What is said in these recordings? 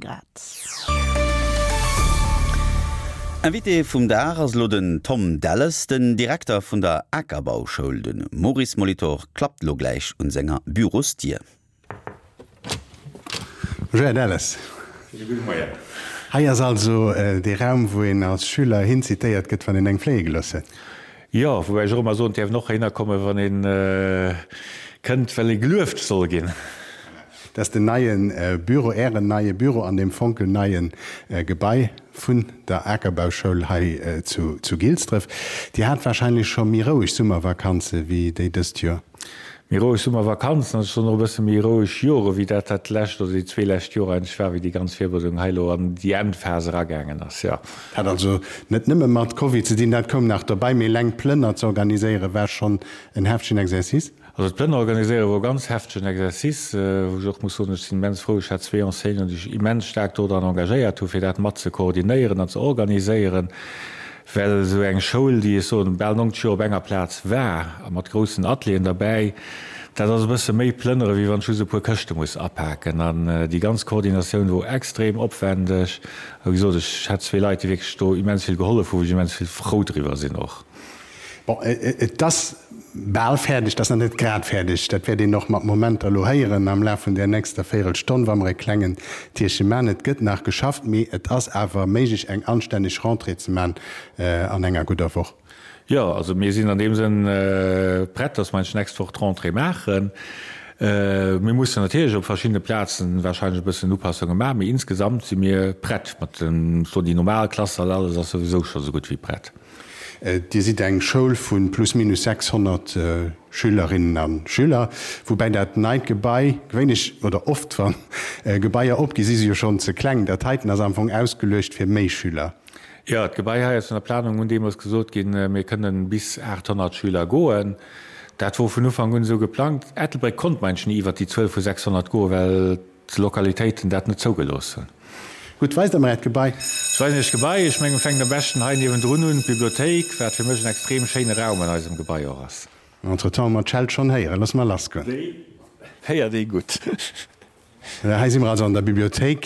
Grad. Invité vum Dag ass elo den Tom Delles, den Direkter vun der Akerbauschoul. De Maurice Molitor klappt elo gläich un senger Bürosdier. Bonjour Här Delles. Schéine gudde Moien. Hei ass also dee Raum, wou een als Schüler hinzitéiert gëtt, wann een eng fléie gelooss huet. Jo, woubäi ech och ëmmer soen, et däerf en och heihinner kommen, wann ee kënnt, well ee gelueft soll ginn. Dat ass den neie Büro, Ären neie Büro an deem fonkelneie Gebai vun der Akerbauschoul hei zu Gilsdref. Dir hat warscheinlech scho méi roueg Summervakanze wéi déi dëst Joer? Méi roueg Summervakanzen an schonn och e bësse méi roueg Jore wéi dat dat lescht oder déi zwee lescht Joer eigentlech war, wéi déi ganz Virbereedung hei elo an déi Endphas eragaangen ass, jo. Hat also net nëmme mat Covid ze dinn, dat koum nach dobäi, mee eleng d'Plënner ze organiséiere war schonn en heftegen Exercice. Also d'Plënner organiséiere wor e ganz heftegen Exercice, wou ech och muss soen, ech sinn immens frou, ech hat zwee Enseignanten, déi sech immens staark dodran engagéiert hu fir dat mat ze koordinéieren an ze organiséieren. Well esou eng Schoul, déi, ech soen, bal 90 Joer op enger Plaz war a mat groussen Atelieren derbäi, dat ass e bësse méi plënnere wéi wann ech just e puer Këschte muss apaken. An déi ganz Koordinatioun wor extrem opwendeg. A wéi gesot, ech hat zwee Leit, déi wierklech do immens vill gehollef hu, wou ech immens vill frou driwwer sinn och. Bon, et ass bal fäerdeg, et ass nach net grad fäerdeg. Dat wäert een och mat Momenter elo héieren am Laf vun där nächster Véirelstonn, wa mer e klengen Tierche man. Et gëtt nach geschafft, mee et ass awer méiglech, eng anstänneg Rentrée ze man an enger gudder Woch. Jo, also mir sinn an deem Sënn prett, dass mer eigentlech d'nächst Woch d'Rentrée maachen. Mir mussen natierlech op verschiddene Plazen wahrscheinlech e bëssen Upassunge maachen, mee insgesamt si mir prett mat den, déi normal Klassall, alles ass souwisou scho sou gutt wéi prett. Dir sidd eng Schoul vu plus minus 600 Schülerinnen a Schüler, woubäi dat neit Gebai, gewéinlech oder oft wa Gebaier opgi si se jo schonn ze kleng, dat heiten ass am Fong ausgeluecht fir méi Schüler. Jo, d'Gebai hei ass an der Planung un deemools gesot ginn, mir kënnen bis 800 Schüler goen. Dat wor vun Ufank un esou geplangt. Ettelbréck konnt meinsch ni iwwert déi Zuel vu 600 goen, well d'Lokalitéiten dat net zougelooss hunn. Gutt, weist der mer äert Gebai. Ech weisen iech d'Gebai. Ech mengen, mir fänken am beschten hei niewendrun un, d'Bibliothéik, wat fir mech en extrem schéine Raum an eisem Gebai och ass. Entretemps hu mer d'Scheld schonn héieren. Loosse mer lassgoen. Déi héiert ee gutt. Hei si mer also an der Bibliothéik,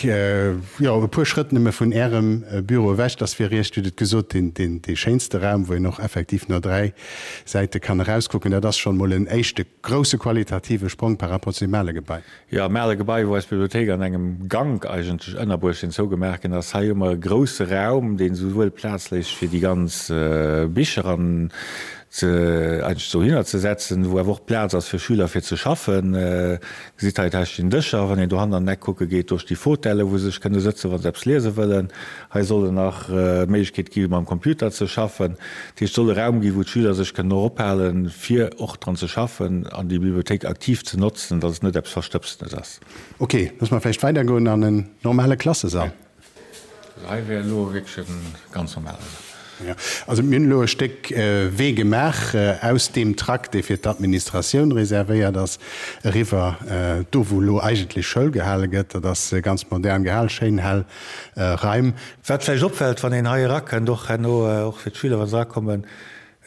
jo, e puer Schrëtt nëmme vun Ärem Büro ewech. Dat ass fir Iech, Dir hutt et gesot, deen, dee schéinste Raum, wou een och effektiv no dräi Säite kann erauskucken. Dat ass schonn emol en éischte grousse qualitative Sprong par rapport zu deem ale Gebai. Jo, am ale Gebai, wou eis Bibliothéik an engem Gank eigentlech ënnerbruecht sinn, zougemaach ginn ass. Hei hu mer e grousse Raum, deen esouwuel Plaz léisst fir déi ganz Bicher an ze eigentlech dohinner ze setzen, wou awer och Plaz ass fir Schüler fir ze schaffen. Gesitt hei, hei stinn Dëscher, wann een dohannen an den Eck kucke geet, do sti Fotellen, wou se sech kënne sëtzen, wa se eppes liese wëllen. Hei soll et nach d'Méiglechkeet gi mam Computer ze schaffen. Dat heescht, et soll e Raum gi wou d'Schüler sech kënnen och ophalen, fir och dran ze schaffen an déi Bibliothéik aktiv ze notzen, datt et net eppes Verstëbstenes ass. Ok, loosse mer vläicht weidergoen an en normale Klassesall. Also hei wär elo wierklech e ganz normale Sall. Jo, also mir hunn elo e Stéck Wee gemaach aus deem Trakt, dee fir d'Administratioun reservéiert ass, eriwwer do, wou elo eigentlech Schoul gehale gëtt. Dat ass ganz modern gehal, schéin hell Raim. Wat vläicht opfält, wann een hei erakënnt, och herno, och fir d'Schüler, wa se erakommen,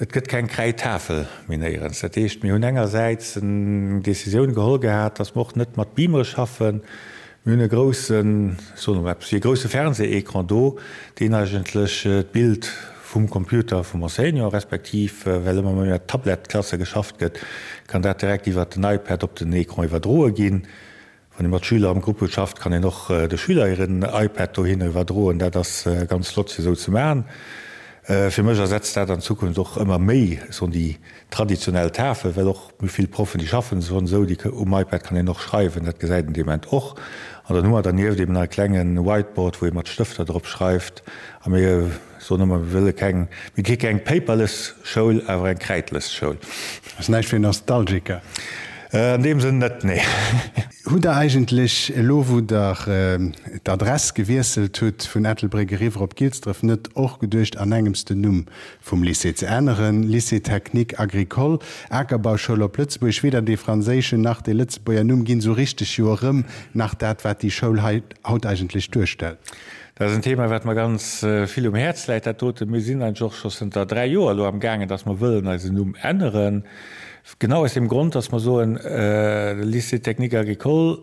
Et gëtt keng Kräidtafel méi néierens. Dat heescht, mir hunn engersäits eng Décisioun geholl gehat, dass mer och net mat Beamere schaffen. Mir hunn e groussen, ech soen elo eppes wéi e grousse Fernseh-Écran do, deen eigentlech d'Bild vum Computer vum Enseignant, respektiv well ëmmer méi mat Tablet-Klasse geschafft gëtt, kann dat direkt iwwert den iPad op den Écran iwwerdroe ginn. Wann ee mat Schüler am Grupp huet schafft, kann een och de Schüler hiren iPad dohinner iwwerdroen. Dat ass ganz flott fir esou ze maachen. Fir mech ersetzt dat an Zukunft och ëmmer méi soen déi traditionell Tafel, well och méi vill Proffen déi schaffen schonn esou, déi um iPad kann een och schreiwen, dat gesäit een dee Moment och. An dann hu mer dernieft eben nach e klenge Whiteboard, wou ee mat Stëfter drop schreift. A mir Soen ëmmer, mir wëlle keng, mir gi keng paperless Schoul, awer eng kräidless Schoul. Ass näischt fir Nostalgiker. An deem Sënn net, nee. Hutt Der eigentlech elo, wou Der d'Adress gewiesselt hutt vun Ettelbréck eriwwer op Gilsdref, net och geduecht, an engems den Numm vum Lycée ze änneren? Lycée technique agricole, Akerbauschoul op Lëtzebuergesch, weder dee franséischen nach dee Lëtzebuerger Numm ginn esou richteg jo erëm nach dat, wat déi Schoul hei haut eigentlech duerstellt. Dat ass en Thema, wat mer ganz vill um Häerz läit, dat doten. Mir sinn eigentlech och scho zënter dräi Joer elo amgaangen, dass mer wëllen eisen Numm änneren. Genau aus deem Grond, dass mer soen, de Lycée technique agricole.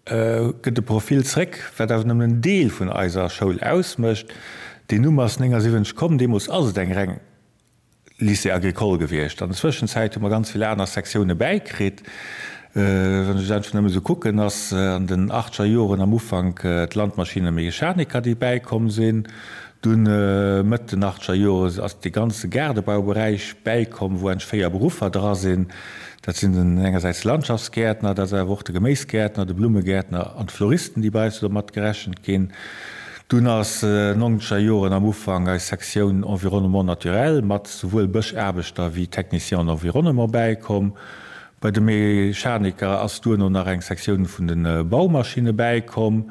Gëtt e Profil zréck, wat awer nëmmen en Deel vun eiser Schoul ausmécht. Deen Numm ass 79 komm, deemools ass et eng reng Lycée agricole gewiescht. An der Zwëschenzäit hu mer ganz vill aner Sektioune bäikritt. Wann ech et einfach nëmme sou kucken, ass an den achtscher Joren am Ufank d'Landmaschinemechaniker, déi bäikomm sinn. Dunn Mëtt den achtscher Jore ass dee ganze Gaardebauberäich bäikomm, wou eigentlech 4 Beruffer dra sinn. Dat sinn den engersäits de Landschaftsgäertner, dat ass awer och de Geméisgäertner, de Blummegäertner an d'Floristen, déi bei eis do mat gerechent ginn. Dunn ass nonzeger Joren am Ufank eis Sektioun Environnement naturel mat souwuel Bëschaarbechter wéi Technicien en environnement bäikomm. Bei de Mechaniker ass duerno nach eng Sektioun vun de Baumaschinne bäikomm.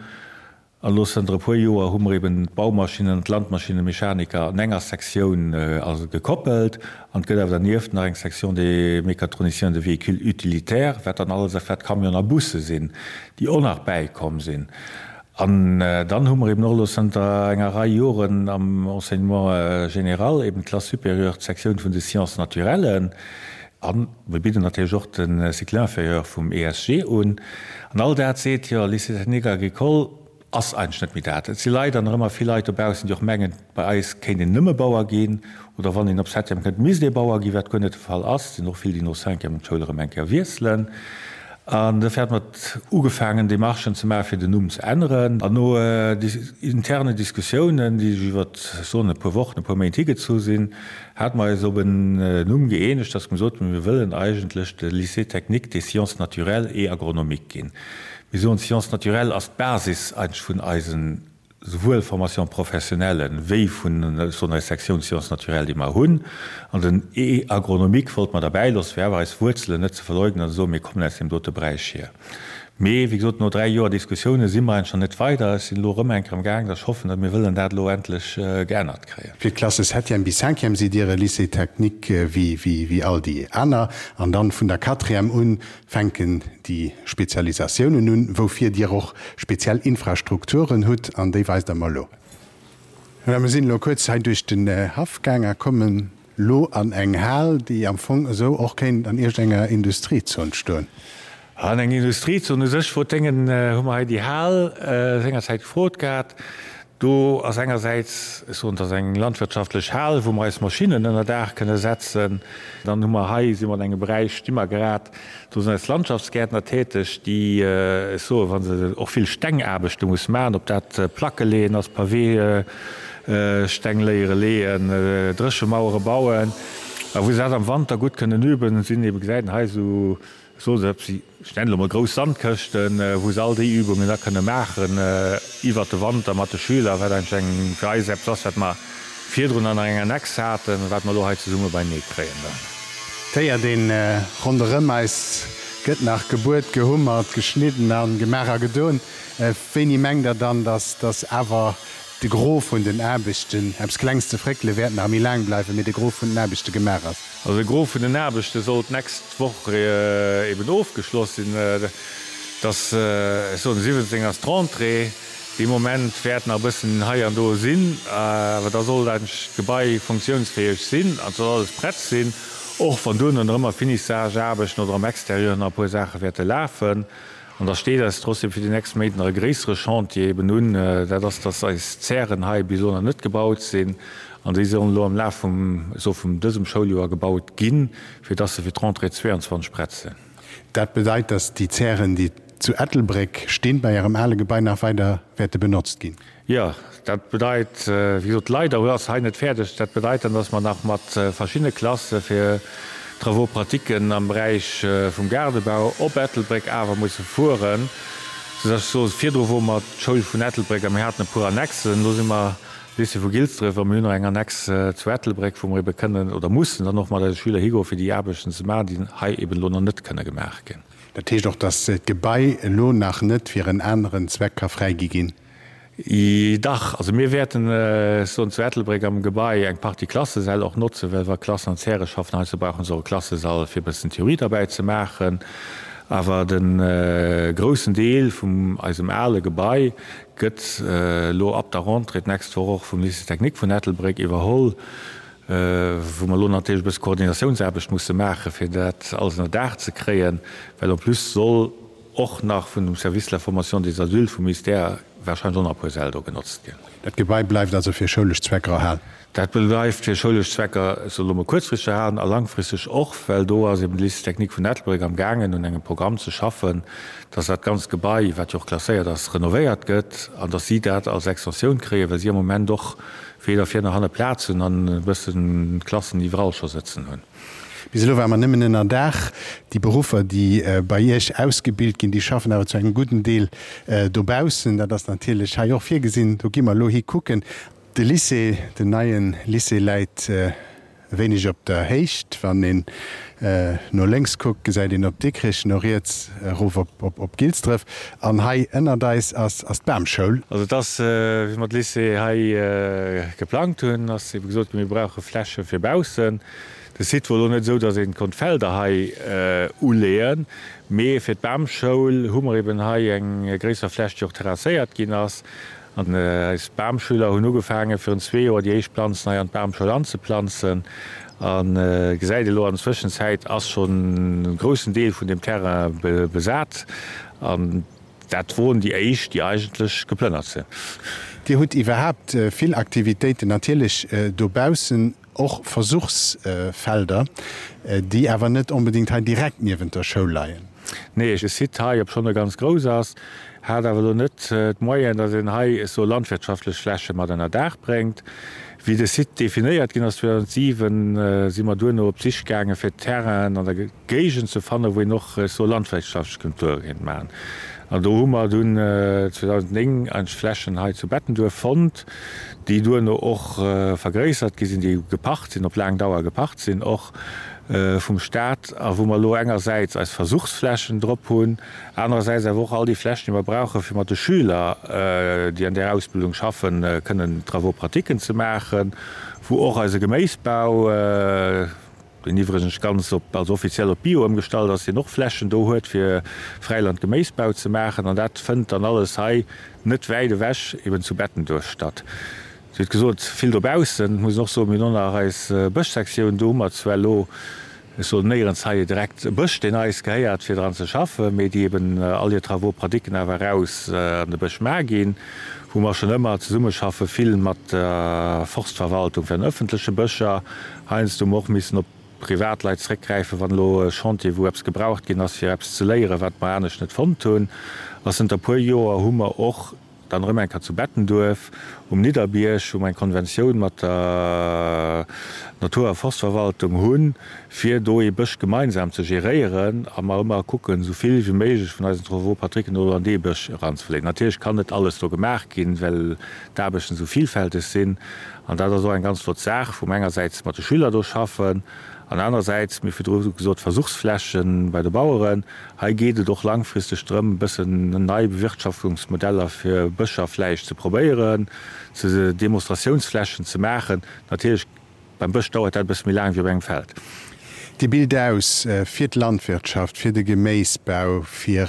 An elo zënter e puer Joer hu mer eben d'Baumaschinnen an d'Landmaschinemechaniker an enger Sektioun gekoppelt. An et gëtt awer dernieft nach eng Section des mécatroniciens de véhicules utilitaires, wat dann alles wat Camionen a Busse sinn, déi och nach bäikomm sinn. An dann hu mer eben och elo zënter enger Rei Joren am Enseignement général eben d'Classe supérieure, d'Sektioun vun de Sciences naturelles. A mir bidden natierlech och de Cycle inférieur vum ESG un. An all dat seet, jo, Lycée technique agricole ass eigentlech net méi dat. Et si leider nach ëmmer vill Leit dobaussen, déi och mengen, bei eis kéint een nëmme Bauer ginn oder wann een op Septième kënnt, misst ee Bauer ginn, wat guer net de Fall ass. Et sinn och vill, déi no Cinquième d'Schoul erëm eng Kéier wiesselen. An dofir hat mer ugefaangen, Demarchen ze maachen, fir den Numm ze änneren. An no interne Diskussiounen, déi sech iwwer, ech soen, e puer Wochen, e puer Méint higezu sinn, hate mer eis op en Numm gëeenegt, dass mer gesot hunn, mir wëllen eigentlech de Lycée technique des sciences naturelles et agronomiques ginn. Mir soen, d'Sciences naturelles ass d'Basis eigentlech vun eisen souwuel Formation professionnelle wéi vun, ech soen, eis Sektioun Sciences naturelles, déi mer hunn. An den E agronomique wollte mer derbäi loossen, fir awer eis Wuerzelen net ze verleugnen an ze soen, mir kommen aus deem dote Beräich hier. Mee, wéi gesot, no 3 Joer Diskussioune si mer eigentlech nach net weider. Ech sinn elo erëm eng Kéier am Gaang, dass ech hoffen, datt mir wëllen dat elo endlech geännert kréien. Fir d'Klasse Septième bis Cinquième sidd Dir e Lycée technique wéi all déi aner. An dann vun der Quatrième un fänken déi Spezialisatiounen un, woufir Dir och speziell Infrastrukturen hutt, an déi weist Der mer elo. Voilà, mir sinn elo kuerz hei duerch den Haff gaang a kommen elo an eng Hal, déi am Fong esou och kéint an iergendenger Industriezon stoen. An eng Industriezon u sech, wou d'Déngen, hu mer hei déi Hal sengerzäit gefrot gehat. Do ass engersäits, ech soen, et ass eng landwirtschaftlech Hal, wou mer eis Maschinnen ënner Daach kënne setzen. Dann hu mer hei, si mer an engem Beräich, sti mer grad, do sinn eis Landschaftsgäertner täteg, déi, ech soen, wa se och vill Stengaarbechte musse maachen, ob dat Placke leeën ass, Paweesteng léiere leeën, Dréchemauere bauen, a wou se dat am Wanter gutt kënnen üben, sinn ebe, gesäit een hei esou, Soe se, ech nennen elo mol grouss Sandkëschten, wou se all déi Übungen da kënne maachen iwwert de Wanter mat de Schüler, wat eigentlech eng fir eis eppes ass, wat mer virdrun an enger Annex haten, wat mer elo hei zesumme beinee kréien dann. Et héiert een ronderëm eis gëtt nach gebuert, gehummert, geschnidden a gemaach a gedoen. Wéini mengt Der dann, datt datt awer de Gros vun den Aarbechten, eppes Klengs ze fréckele wäert nach méi laang bleiwen, mee de Gros vun den Aarbechte gemaach ass? Also de Gros vun den Aarbechte soll d'nächst Woch eben ofgeschloss sinn. Dass, ech soen, de 17 ass d'Rentrée. Dee Moment wäert nach e bëssen hei an do sinn, awer da sollt eigentlech d'Gebai funktiounsfäeg sinn an et soll alles prett sinn, och wann duerno nach ëmmer Finissageaarbechten oder am Exterieur nach e puer Saache wäerte lafen. An da steet eis trotzdem fir déi nächst Méint nach e gréissere Chantier eben un, dat ass, dass eis Zären hei bis elo nach net gebaut sinn. An déi sollen elo am Laf vum, ech soe vum dësem Schouljoer gebaut ginn, fir dass se fir d'Rentrée 22 prett sinn. Dat bedeit, dass déi Zären, déi zu Ettelbréck stinn, bei Ärem ale Gebai nach weider wäerte benotzt ginn? Jo, dat bedeit, wéi gesot, leider ass hei net fäerdeg. Dat bedeit dann, dass mer nach mat verschiddene Klasse fir Travaux-pratiquen am Beräich vum Gaardebau op Ettelbréck awer musse fueren. Soudass ech soe, virdru wor mer d'Schoul vun Ettelbréck a mir haten e puer Annexen. Elo si mer Lycée vu Gilsdref a mir hunn nach eng Annex zu Ettelbréck, wou mer ebe kënnen oder mussen dann och mat eise Schüler higoen, fir déi Aarbechten ze maachen, déi hei eben elo nach net kënne gemaach ginn. Dat heescht och, dass d'Gebai elo nach net fir en aneren Zweck ka fräigi ginn? Dach, also mir wäerten, ech soen, zu Ettelbréck am Gebai eng Partie Klassesäll och notzen, well wa Klassen an Zäre schaffen, heiansdo brauche se och e Klassesall, fir e bëssen Theorie derbäi ze maachen. Awer de groussen Deel vum eisem ale Gebai gëtt elo ab der Rentrée d'nächst Woch och vum Lycée technique vun Ettelbréck iwwerholl, wou mer elo natierlech e bësse Koordinatiounsaarbecht musse maachen, fir dat alles ënner Daach ze kréien, well en plus soll. och nach vun dem Service de la formation des adultes vum Ministère wahrscheinlech och nach e puer Säll do genotzt ginn. Dat Gebai bleift also fir schoulesch Zwecker erhalen? Dat bleift fir schoulesch Zwecker, ech soe lo mol kuerzfristeg erhalen a langfristeg och, well do ass eben de Lycée technique vun Ettelbréck am gaangen un engem Programm ze schaffen, dass dat ganzt Gebai, wat jo och klasséiert ass, renovéiert gëtt an dass si dat als Extensioun kréien, well si am Moment och weder vir nach hanne Plaz hunn an e bëssen Klassen iwwerall scho sëtzen hunn. Bis elo ware mer nëmmen ënner Daach. Déi Beruffer, déi bei Iech ausgebilt ginn, déi schaffen awer zu engem gudden Deel dobaussen. Dat ass natierlech hei och virgesinn. Do gi mer elo hi kucken. De Lycée, den neie Lycée läit e wéineg op der Héicht. Wann een no lénks kuckt, gesäit een op Dikrich, no riets erof op Gilsdref. An hei ënnert eis ass d'Bamschoul. Also et ass, wéi mer de Lycée hei geplangt hunn, ass ebe gesot ginn, mir brauche Fläche fir baussen. De Site wor elo net esou, datt een konnt Felder hei uleeën, mee fir d'Bamschoul hu mer eben hei eng gréisser Fläch, déi och terrasséiert ginn ass. An eis Bamschüler hunn ugefaangen, virun zwee Joer déi éischt Planzen hei an d'Bamschoul anzeplanzen. A gesäit elo, an der Zwëschenzäit ass schonn e groussen Deel vun deem Terrain besat. An dat woren déi éischt, déi eigentlech geplënnert sinn. Dir hutt iwwerhaapt vill Aktivitéiten natierlech dobaussen. Och Versuchsfelder, déi awer net onbedéngt hei direkt niewent der Schoul leien. Nee, de Site hei, obschonn e ganz grouss ass, hat awer elo net d'Moyenen, datt een hei esou landwirtschaftlech Fläche mat ënner Daach bréngt. Wéi de Site definéiert ginn ass 2007, si mer duerno op d'Sich gaange fir Terrainen an der Géigend ze fannen, wou een och esou landwirtschaftlech Kulture kéint maachen. An do hu mer dunn 2009 eigentlech Flächen hei zu Bettenduerf fonnt, déi duerno och vergréissert gi sinn, déi gepacht sinn, op laang Dauer gepacht sinn, och vum Stat, a wou mer elo engersäits eis Versuchsflächen drop hunn, anerersäits awer och all déi Flächen, déi mer brauchen, fir mat de Schüler, déi an där Ausbildung schaffen, kënnen Travaux-pratiquen ze maachen, wou och eise Geméisbau, deen iwwregens ganz op, also offiziell op Bio ëmgestallt ass, deen och Flächen do huet fir Fräiland-Geméisbau ze maachen. An dat fënnt dann alles hei net wäit ewech eben zu Bettenduerf statt. Dir hutt gesot, vill dobaussen. Muss een och soen, mir hunn och nach eis Bëschsektioun. Do hu mer zwar elo, ech soen néierens hei direkt e Bësch, deen eis gehéiert, fir dran ze schaffen, mee déi eben all hir Travaux pratiquen awer eraus an de Bësch ma ginn, wou mer schonn ëmmer zesummeschaffe vill mat der Forstverwaltung fir an ëffentleche Bëscher. Heiansdo hu mer och missen op Privatleit zréckgräifen, wann elo e Chantier, wou eppes gebraucht ginn ass, fir eppes ze léieren, wat mer anescht net fonnt hunn. A zënter e puer Joer hu mer och dann erëm eng Kéier zu Bettenduerf um Nidderbierg, wou mer eng Konventioun mat der Natur a Forstverwaltung hunn, fir do ee Bësch gemeinsam ze geréieren a mer ëmmer kucken, esou vill wéi méiglech vun eisen Travaux pratiquen elo an dee Bësch eranzeverleeën. Natierlech kann net alles do gemaach ginn, well d'Aarbechten esou villfälteg sinn. An dat ass och eng ganz flott Saach, wou mer engersäits mat de Schüler do schaffen an anerersäits, mir hu virdru gesot, Versuchsfläche bei de Baueren. Hei geet et och langfristeg drëm, e bëssen nei Bewirtschaftungsmodeller fir Bëscher vläicht ze probéieren, ze Demonstratiounsflächen ze maachen. Natierlech, beim Bësch dauert dat e bësse méi laang wéi op engem Feld. Dir bilt aus fir d'Landwirtschaft, fir de Geméisbau, fir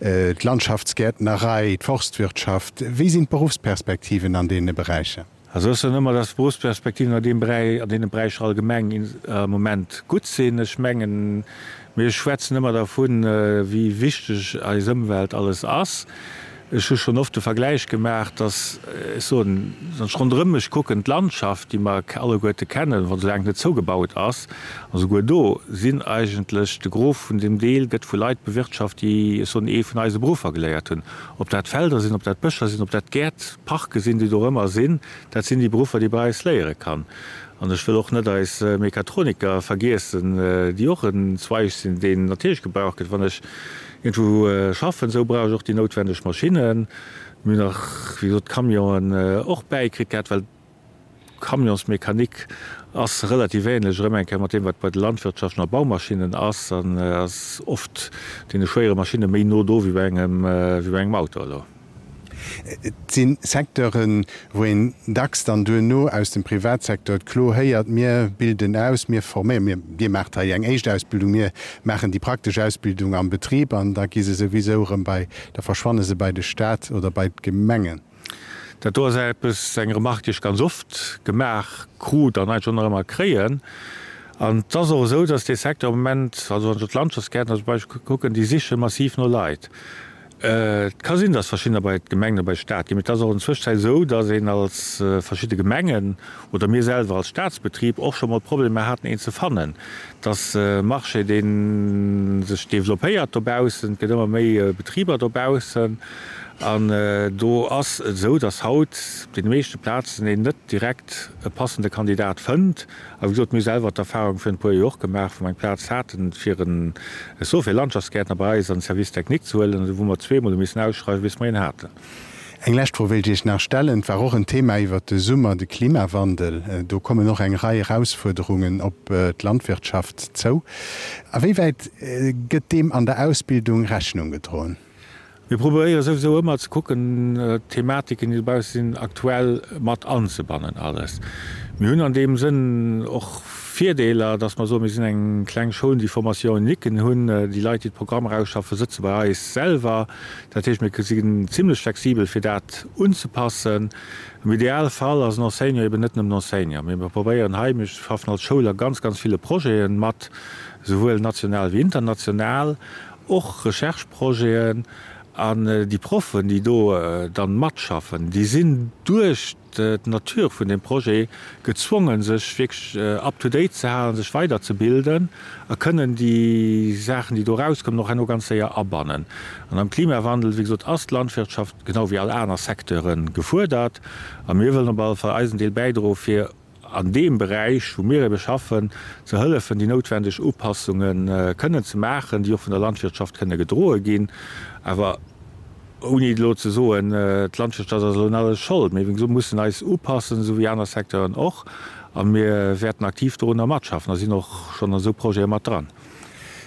d'Landschaftsgäertnerei, d'Forstwirtschaft. Wéi sinn d'Beruffsperspektiven an deene Beräicher? Also ech soen ëmmer, dass d'Beruffsperspektiven an deem Beräich, an deene Beräicher allgemeng am Moment gutt sinn. Ech mengen, mir schwätzen ëmmer dervun, wéi wichteg eis Ëmwelt alles ass. Ech hu schonn oft de Vergläich gemaach, dass, ech soen, wann ech ronderëm mech kucken, d'Landschaft, déi mer alleguerte kennen, wa soulaang et net zougebaut ass, a souguer do sinn eigentlech, de Gros vun deem Deel gëtt vu Leit bewirtschaft, déi, ech soen, ee vun eise Beruffer geléiert hunn. Ob dat Felder sinn, ob dat Bëscher sinn, ob dat Gäert, Parke sinn, déi do ëmmer sinn, dat sinn déi Beruffer, déi ee bei eis léiere kann. An ech wëll och net eis Mechatroniker vergiessen, déi och en Zweig sinn, deen natierlech gebraucht gëtt. Wann ech Iergendwou schaffen, esou brauch ech och déi noutwendeg Maschinnen. Mir hunn nach, wéi gesot, d'Camionen och bäikritt gehat, well d'Camionsmechanik ass relativ ähnlech erëm eng Kéier mat deem, wat bei de Landwirtschaften a Baumaschinnen ass, an ass oft deene schwéiere Maschinne méi no do wéi bei engem, wéi bei engem Auto elo. Et si Secteuren, wou een dacks dann duerno aus dem Privatsecteur d'Klo héiert, Mir bilden aus, mir forméieren, mir, Dir maacht hei eng éischt Ausbildung, mir maachen déi praktesch Ausbildung am Betrib an da gi se souwisou erëm bei, da verschwanne se bei de Stat oder bei d'Gemengen. Dat do ass eppes, eng Remarque, déi ech ganz oft gemaach krut an eigentlech och nach ëmmer kréien. An et ass och esou, dass dee Secteur am Moment, also wann ech op d'Landschaftsgäertner zum Beispill kucken, déi siche massiv no Leit. Et ka sinn, dass verschiddener bei d'Gemengen oder bei de Staat ginn, mee et ass och an Zwëschzäit esou, dass een als verschidde Gemengen oder mir selwer als Staatsbetrib och scho mol Problemer haten, een ze fannen. Et ass e Marché, dee sech developpéiert dobaussen, et gëtt ëmmer méi Betriber dobaussen an do ass et esou, dass haut op deene meeschte Plazen een net direkt e passende Kandidat fënnt. A wéi gesot, mir hu selwer d'Erfahrung virun e puer Joer och gemaach, wou mer eng Plaz haten, fir en, ech soe fir e Landschaftsgäertner bei eis an de Service technique ze huelen, wou mer zweemol hu missen ausschreiwen, bis mer een haten. Eng lescht Fro wéilt ech Iech nach stellen. Et war och en Thema iwwert de Summer, de Klimawandel. Do kommen och eng Rei Erausfuerderungen op d'Landwirtschaft zou. A wéi wäit gëtt deem an der Ausbildung Rechnung gedroen? Mir probéiere souwisou ëmmer ze kucken, d'Thematiken, déi dobausse sinn, aktuell mat anzebannen alles. Mir hunn an deem Sënn och Virdeeler, dass mer soen, mir sinn eng kleng Schoul, déi Formation uniquen hunn. Déi Leit, déi d'Programmer ausschaffen, sëtze bei eis selwer. Dat heescht, mir sinn zimlech flexibel, fir dat unzepassen. Am Idealfall ass en Enseignant eben net nëmmen Enseignant, mee mir probéieren hei, mir schaffen als Schoul a ganz, ganz ville Projete mat, souwuel national wéi international, Och Recherche-Projeten an déi Proffen, déi do dann matschaffen, déi sinn duerch d'Nature vun deem Projet gezwongen, sech wierklech up to date ze halen, sech weiderzebilden a kënnen déi Saachen, déi do erauskommen, och herno ganz séier abannen. An am Klimawandel, wéi gesot, ass d'Landwirtschaft, genau wéi all aner Secteuren, gefuerdert a mir wëllen op alle Fall eisen Deel bäidroen, fir an deem Beräich, wou mir ebe schaffen, ze hëllefen, déi noutwendeg Upassunge kënnen ze maachen, déi och vun der Landwirtschaft kënne gedroe ginn, awer ouni elo ze soen, d'Landwirtschaft ass elo un alles Schold. Mir, wéi gesot, mussen eis upassen, esou wéi aner Secteuren och, a mir wäerten aktiv dorunner matschaffen a sinn och schonn an esou Projete mat dran.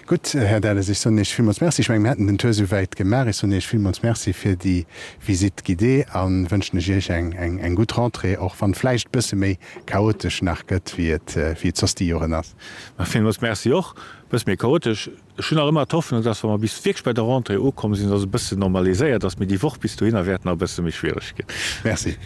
Gutt, Här Delles, ech soen Iech villmools Merci. Ech mengen, mir hätten den Tour esouwäit gemaach. Ech soen Iech villmools Merci fir déi Visite guidée a wënschen ech Iech eng gutt Rentrée, och wann vläicht e bësse méi chaotesch nach gëtt, wéi et wéi et soss déi Joren ass. Ma villmools Merci och. E bësse méi chaotesch. Ech hunn nach ëmmer d'Hoffnung, dass, wa mer bis wierklech bei der Rentrée ukomm sinn, dass et e bëssen normaliséiert ass. Mee déi Woch bis dohinner wäert nach e bësse méi schwiereg ginn. Merci.